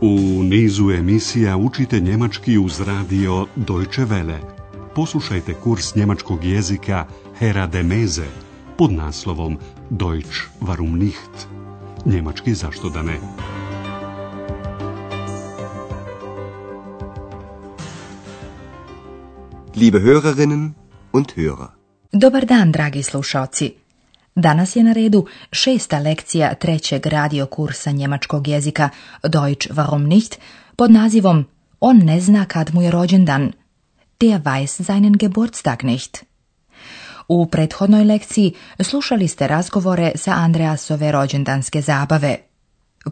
U nizu emisija učite njemački uz radio Deutsche Welle. Poslušajte kurs njemačkog jezika Herr de Meze pod naslovom Deutsch warum nicht? Njemački zašto da ne? Liebe Hörerinnen und Hörer. Dobar dan, dragi slušaoci. Danas je na redu 6. lekcija 3. radio kursa njemačkog jezika Deutsch warum nicht pod nazivom On ne zna kad mu je rođendan. Der weiß seinen Geburtstag nicht. U prethodnoj lekciji slušali ste razgovore sa Andreasove rođendanske zabave.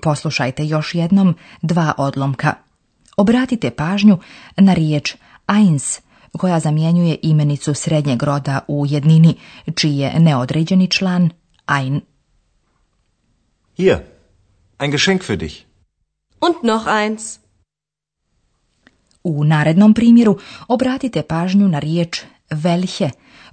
Poslušajte još jednom 2 odlomka. Obratite pažnju na riječ eins, koja zamjenjuje imenicu srednjeg roda u jednini, čiji je neodređeni član ein. Hier, ein Geschenk für dich. Und noch eins. U narednom primjeru obratite pažnju na riječ welche,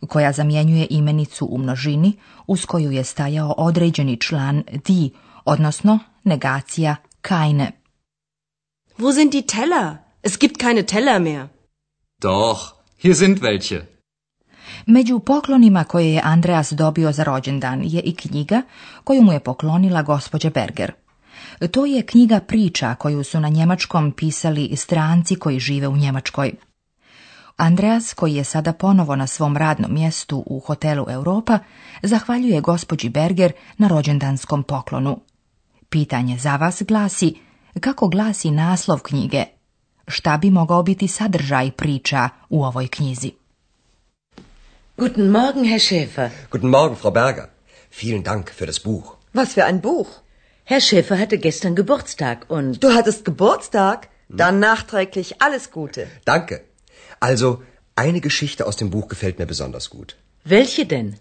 koja zamjenjuje imenicu u množini, uz koju je stajao određeni član die, odnosno negacija keine. Wo sind die Teller? Es gibt keine Teller mehr. Doch, hier sind welche. Među poklonima koje je Andreas dobio za rođendan je i knjiga koju mu je poklonila gospođa Berger. To je knjiga priča koju su na njemačkom pisali stranci koji žive u Njemačkoj. Andreas, koji je sada ponovo na svom radnom mjestu u hotelu Europa, zahvaljuje gospođi Berger na rođendanskom poklonu. Pitanje za vas glasi: kako glasi naslov knjige? Šta bi mogao biti sadržaj priča u ovoj knjizi? Guten Morgen, Herr Schäfer. Guten Morgen, Frau Berger. Vielen Dank für das Buch. Was für ein Buch? Herr Schäfer hatte gestern Geburtstag und... Du hattest Geburtstag? Dann nachträglich alles Gute. Danke. Also, eine Geschichte aus dem Buch gefällt mir besonders gut. Welche denn?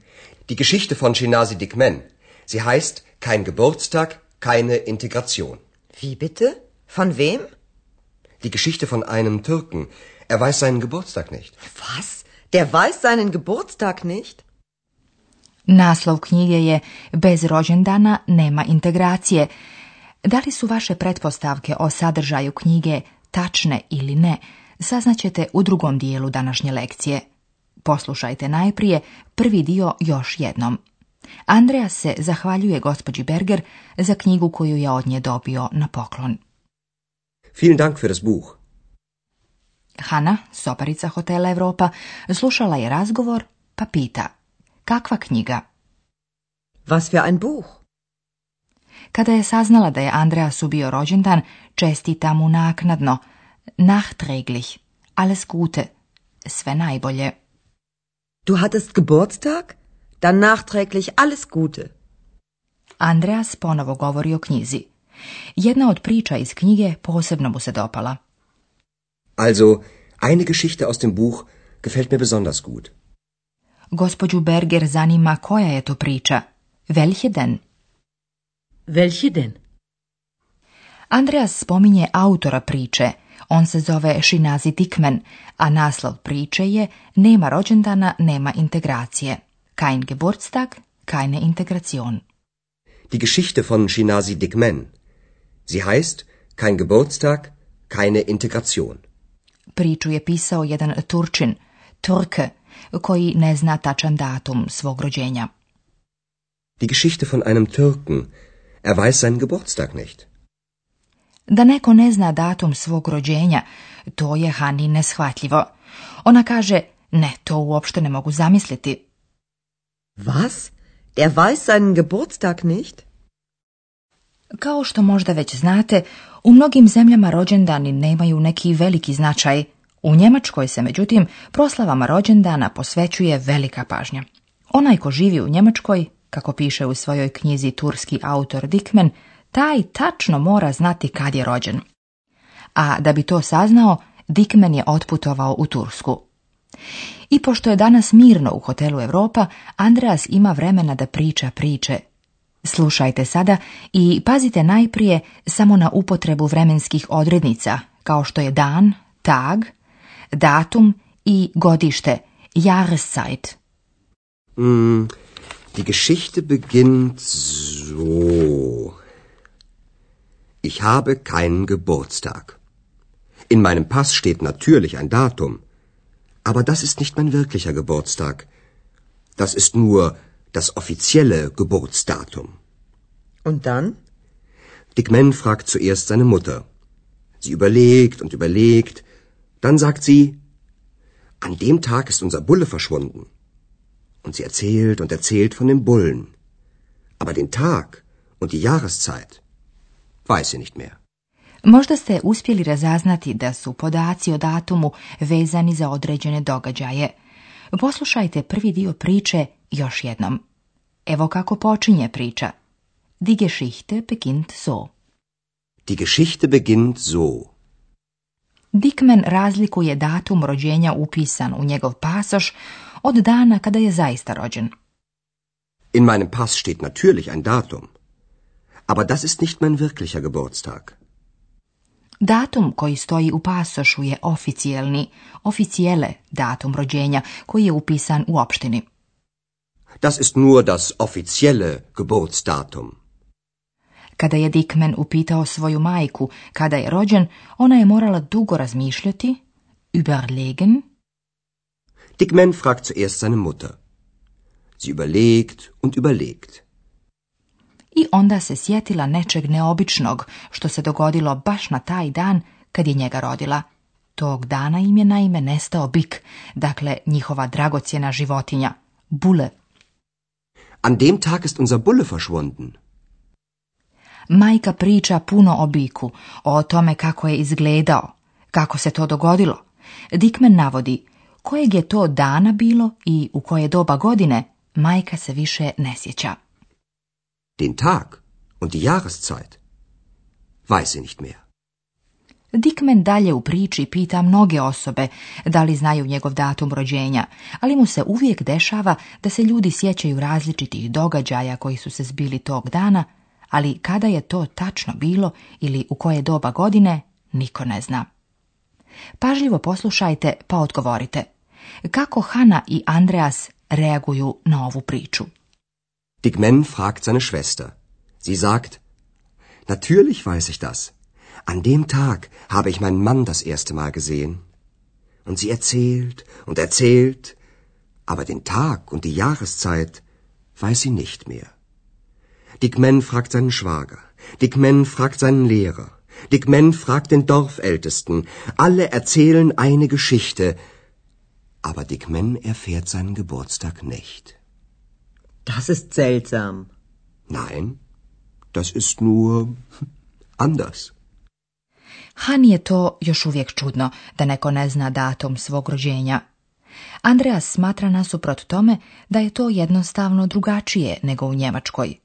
Die Geschichte von Shinasi Dikmen. Sie heißt Kein Geburtstag, keine Integration. Wie bitte? Von wem? Die Geschichte von einem Türken. Er weiß seinen Geburtstag nicht. Was? Der weiß seinen Geburtstag nicht? Naslov knjige je Bez rođendana nema integracije. Da li su vaše pretpostavke o sadržaju knjige tačne ili ne, saznaćete u drugom dijelu današnje lekcije. Poslušajte najprije prvi dio još jednom. Andreas se zahvaljuje gospođi Berger za knjigu koju je od nje dobio na poklon. Vielen Dank für das Buch. Hanna, soparica hotela Europa, slušala je razgovor pa pita: kakva knjiga? Was für ein Buch? Kada je saznala da je Andreasu bio rođendan, čestita mu naknadno: nachträglich, alles Gute, sve najbolje. Du hattest Geburtstag? Dann nachträglich alles Gute. Andreas ponovo govori o knjizi. Jedna od priča iz knjige posebno mu se dopala. Also, eine Geschichte aus dem Buch gefällt mir besonders gut. Gospođu Berger zanima koja je to priča. Welche denn? Welche denn? Andreas spominje autora priče. On se zove Shinasi Dikmen, a naslov priče je Nema rođendana, nema integracije. Kein Geburtstag, keine Integration. Die Geschichte von Shinasi Dikmen. Sie heißt Kein Geburtstag, keine Integration. Priču je pisao jedan Turčin, Turke, koji ne zna tačan datum svog rođenja. Die Geschichte von einem Türken. Er weiß seinen Geburtstag nicht. Da neko ne zna datum svog rođenja, to je Hani neshvatljivo. Ona kaže: ne, to uopšte ne mogu zamisliti. Was? Er weiß seinen Geburtstag nicht? Kao što možda već znate, u mnogim zemljama rođendani nemaju neki veliki značaj. U Njemačkoj se, međutim, proslavama rođendana posvećuje velika pažnja. Onaj ko živi u Njemačkoj, kako piše u svojoj knjizi turski autor Dikmen, taj tačno mora znati kad je rođen. A da bi to saznao, Dikmen je otputovao u Tursku. I pošto je danas mirno u hotelu Europa, Andreas ima vremena da priča priče. Slušajte sada i pazite najprije samo na upotrebu vremenskih odrednica, kao što je dan, tag, datum i godište, Jahreszeit. Die Geschichte beginnt so. Ich habe keinen Geburtstag. In meinem Pass steht natürlich ein Datum, aber das ist nicht mein wirklicher Geburtstag. Das ist nur das offizielle Geburtsdatum. Und dann? Dick Man fragt zuerst seine Mutter. Sie überlegt und überlegt. Dann sagt sie, an dem Tag ist unser Bulle verschwunden. Und sie erzählt und erzählt von dem Bullen. Aber den Tag und die Jahreszeit weiß sie nicht mehr. Možda ste uspjeli razaznati da su podaci o datumu vezani za određene događaje. Poslušajte prvi dio priče još jednom. Evo kako počinje priča. Die Geschichte beginnt so. Die Geschichte beginnt so. Dick Man razlikuje datum rođenja upisan u njegov pasoš od dana kada je zaista rođen. In meinem Pass steht natürlich ein Datum. Aber das ist nicht mein wirklicher Geburtstag. Datum koji stoji u pasošu je oficielle datum rođenja koji je upisan u opštini. Das ist nur das offizielle Geburtsdatum. Kada je Dick Man upitao svoju majku kada je rođen, ona je morala dugo razmišljati, überlegen. Dick Man fragt zuerst seine Mutter. Sie überlegt und überlegt. I onda se sjetila nečeg neobičnog što se dogodilo baš na taj dan kad je njega rodila. Tog dana im je naime nestao bik, dakle njihova dragocjena životinja, Bulle. An dem Tag ist unser Bulle verschwunden. Majka priča puno o biku, o tome kako je izgledao, kako se to dogodilo. Dick Man navodi kojeg je to dana bilo i u koje doba godine, majka se više ne sjeća. Den Tag und die Jahreszeit weiß sie nicht mehr. Dick Man dalje u priči pita mnoge osobe da li znaju njegov datum rođenja, ali mu se uvijek dešava da se ljudi sjećaju različitih događaja koji su se zbili tog dana, ali kada je to tačno bilo ili u koje doba godine, niko ne zna. Pažljivo poslušajte pa odgovorite. Kako Hanna i Andreas reaguju na ovu priču? Dick Man fragt seine Schwester. Sie sagt, natürlich weiß ich das. An dem Tag habe ich meinen Mann das erste Mal gesehen. Und sie erzählt und erzählt, aber den Tag und die Jahreszeit weiß sie nicht mehr. Dick Man fragt seinen Schwager. Dick Man fragt seinen Lehrer. Dick Man fragt den Dorfältesten. Alle erzählen eine Geschichte, aber Dick Man erfährt seinen Geburtstag nicht. Das ist seltsam. Nein, das ist nur anders. Hani je to još uvijek čudno, da neko ne zna datum svog rođenja. Andreas smatra nasuprot tome da je to jednostavno drugačije nego u Njemačkoj.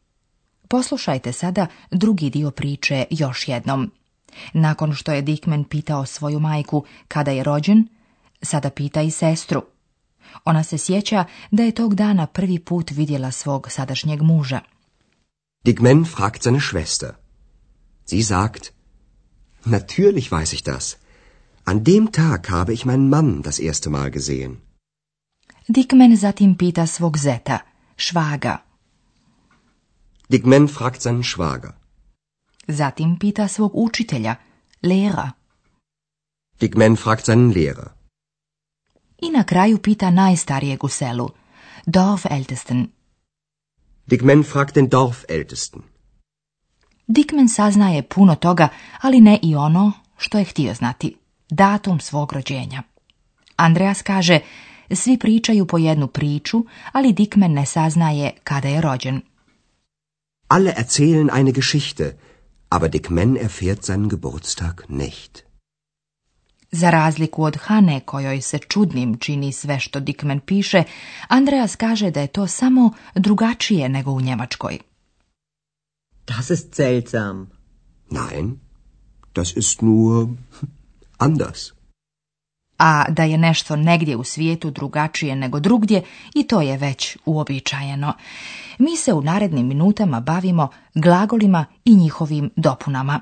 Poslušajte sada drugi dio priče još jednom. Nakon što je Dick Man pitao svoju majku kada je rođen, sada pita i sestru. Ona se sjeća da je tog dana prvi put vidjela svog sadašnjeg muža. Dick Man fragt seine Schwester. Sie sagt, natürlich weiß ich das. An dem Tag habe ich meinen Mann das erste Mal gesehen. Dick Man zatim pita svog zeta, švaga. Dick Man fragt seinen Schwager. Zatim pita svog učitelja, Lehrer. Dick Man fragt seinen Lehrer. I na kraju pita najstarijeg u selu, Dorfältesten. Dick Man fragt den Dorfältesten. Dick Man saznaje puno toga, ali ne i ono što je htio znati, datum svog rođenja. Andreas kaže, svi pričaju po jednu priču, ali Dick Man ne saznaje kada je rođen. Alle erzählen eine Geschichte, aber Dick Man erfährt seinen Geburtstag nicht. Za razliku od Hane, kojoj se čudnim čini sve što Dick Man piše, Andreas kaže da je to samo drugačije nego u Njemačkoj. Das ist seltsam. Nein, das ist nur anders. A da je nešto negdje u svijetu drugačije nego drugdje, i to je već uobičajeno. Mi se u narednim minutama bavimo glagolima i njihovim dopunama.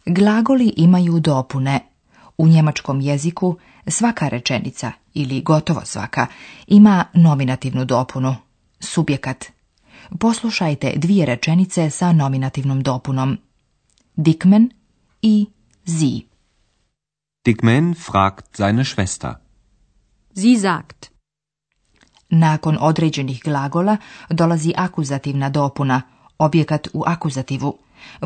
Glagoli imaju dopune. U njemačkom jeziku svaka rečenica, ili gotovo svaka, ima nominativnu dopunu, subjekat. Poslušajte 2 rečenice sa nominativnom dopunom. Dickmann i sie. Dickmann fragt seine Schwester. Sie sagt. Nakon određenih glagola dolazi akuzativna dopuna, objekat u akuzativu.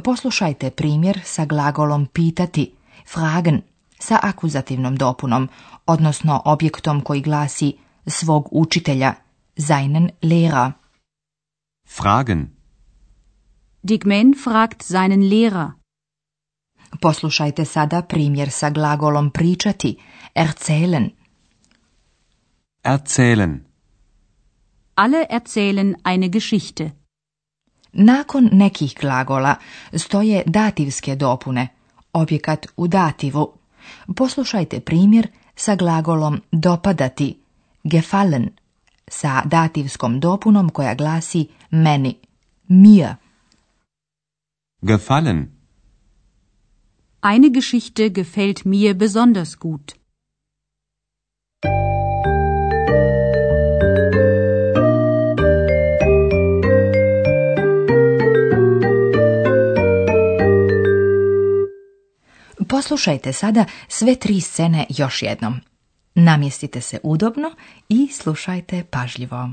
Poslušajte primjer sa glagolom pitati, fragen, sa akuzativnom dopunom, odnosno objektom koji glasi svog učitelja, seinen Lehrer. Fragen. Dickmann fragt seinen Lehrer. Poslušajte sada primjer sa glagolom pričati, erzählen. Erzählen. Alle erzählen eine Geschichte. Nakon nekih glagola stoje dativske dopune, objekat u dativu. Poslušajte primjer sa glagolom dopadati, gefallen, sa dativskom dopunom koja glasi meni, mir. Gefallen. Eine Geschichte gefällt mir besonders gut. Poslušajte sada sve 3 scene još jednom. Namjestite se udobno i slušajte pažljivo.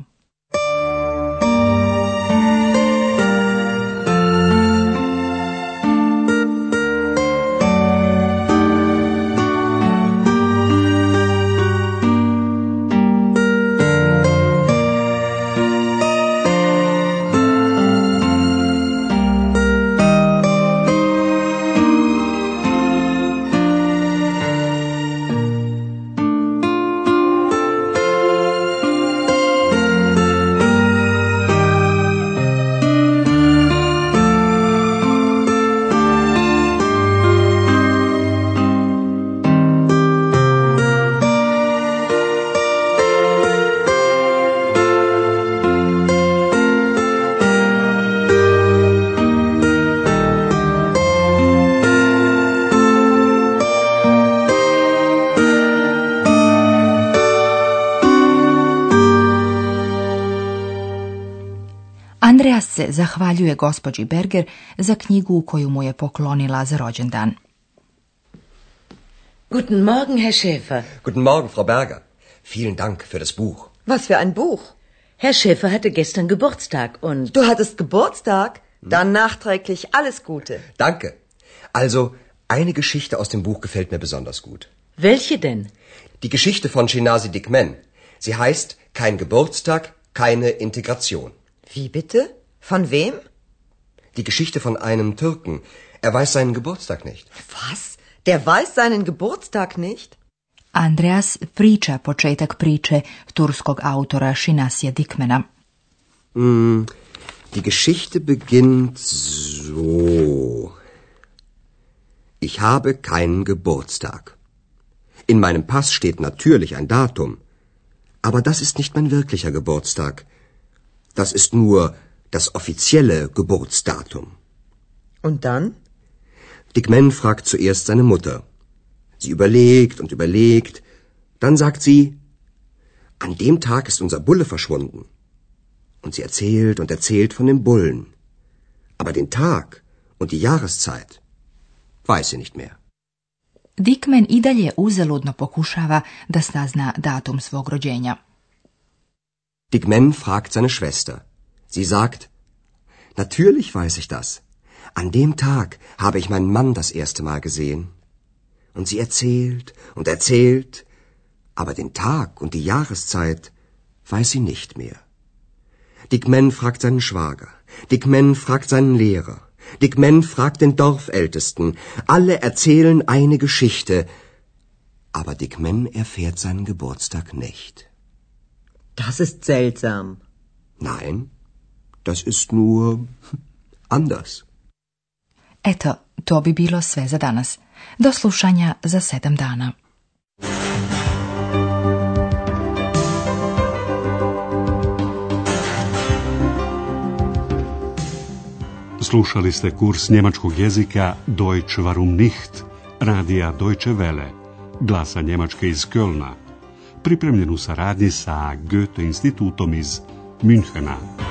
Andreas se zahvaljuje gospođi Berger za knjigu koju mu je poklonila za rođendan. Guten Morgen, Herr Schäfer. Guten Morgen, Frau Berger. Vielen Dank für das Buch. Was für ein Buch? Herr Schäfer hatte gestern Geburtstag und... Du hattest Geburtstag? Dann nachträglich alles Gute. Danke. Also, eine Geschichte aus dem Buch gefällt mir besonders gut. Welche denn? Die Geschichte von Shinasi Dickmann. Sie heißt Kein Geburtstag, keine Integration. Wie bitte? Von wem? Die Geschichte von einem Türken. Er weiß seinen Geburtstag nicht. Was? Der weiß seinen Geburtstag nicht? Andreas priča početak priče turskog autora Shinasija Dickmana. Die Geschichte beginnt so. Ich habe keinen Geburtstag. In meinem Pass steht natürlich ein Datum. Aber das ist nicht mein wirklicher Geburtstag. Das ist nur das offizielle Geburtsdatum. Und dann? Dickmann fragt zuerst seine Mutter. Sie überlegt und überlegt. Dann sagt sie, an dem Tag ist unser Bulle verschwunden. Und sie erzählt und erzählt von dem Bullen. Aber den Tag und die Jahreszeit weiß sie nicht mehr. Dickmann i dalje uzaludno pokušava da sazna datum svog rođenja. Dickmann fragt seine Schwester. Sie sagt, natürlich weiß ich das. An dem Tag habe ich meinen Mann das erste Mal gesehen. Und sie erzählt und erzählt, aber den Tag und die Jahreszeit weiß sie nicht mehr. Dickmann fragt seinen Schwager. Dickmann fragt seinen Lehrer. Dickmann fragt den Dorfältesten. Alle erzählen eine Geschichte, aber Dickmann erfährt seinen Geburtstag nicht. Das ist seltsam. Nein, das ist nur anders. Eto, to bi bilo sve za danas. Do slušanja za 7 dana. Slušali ste kurs njemačkog jezika Deutsch warum nicht, radija Deutsche Welle. glasa Njemačke iz Kölna, pripremljen u saradnji sa Goethe institutom iz Münchena.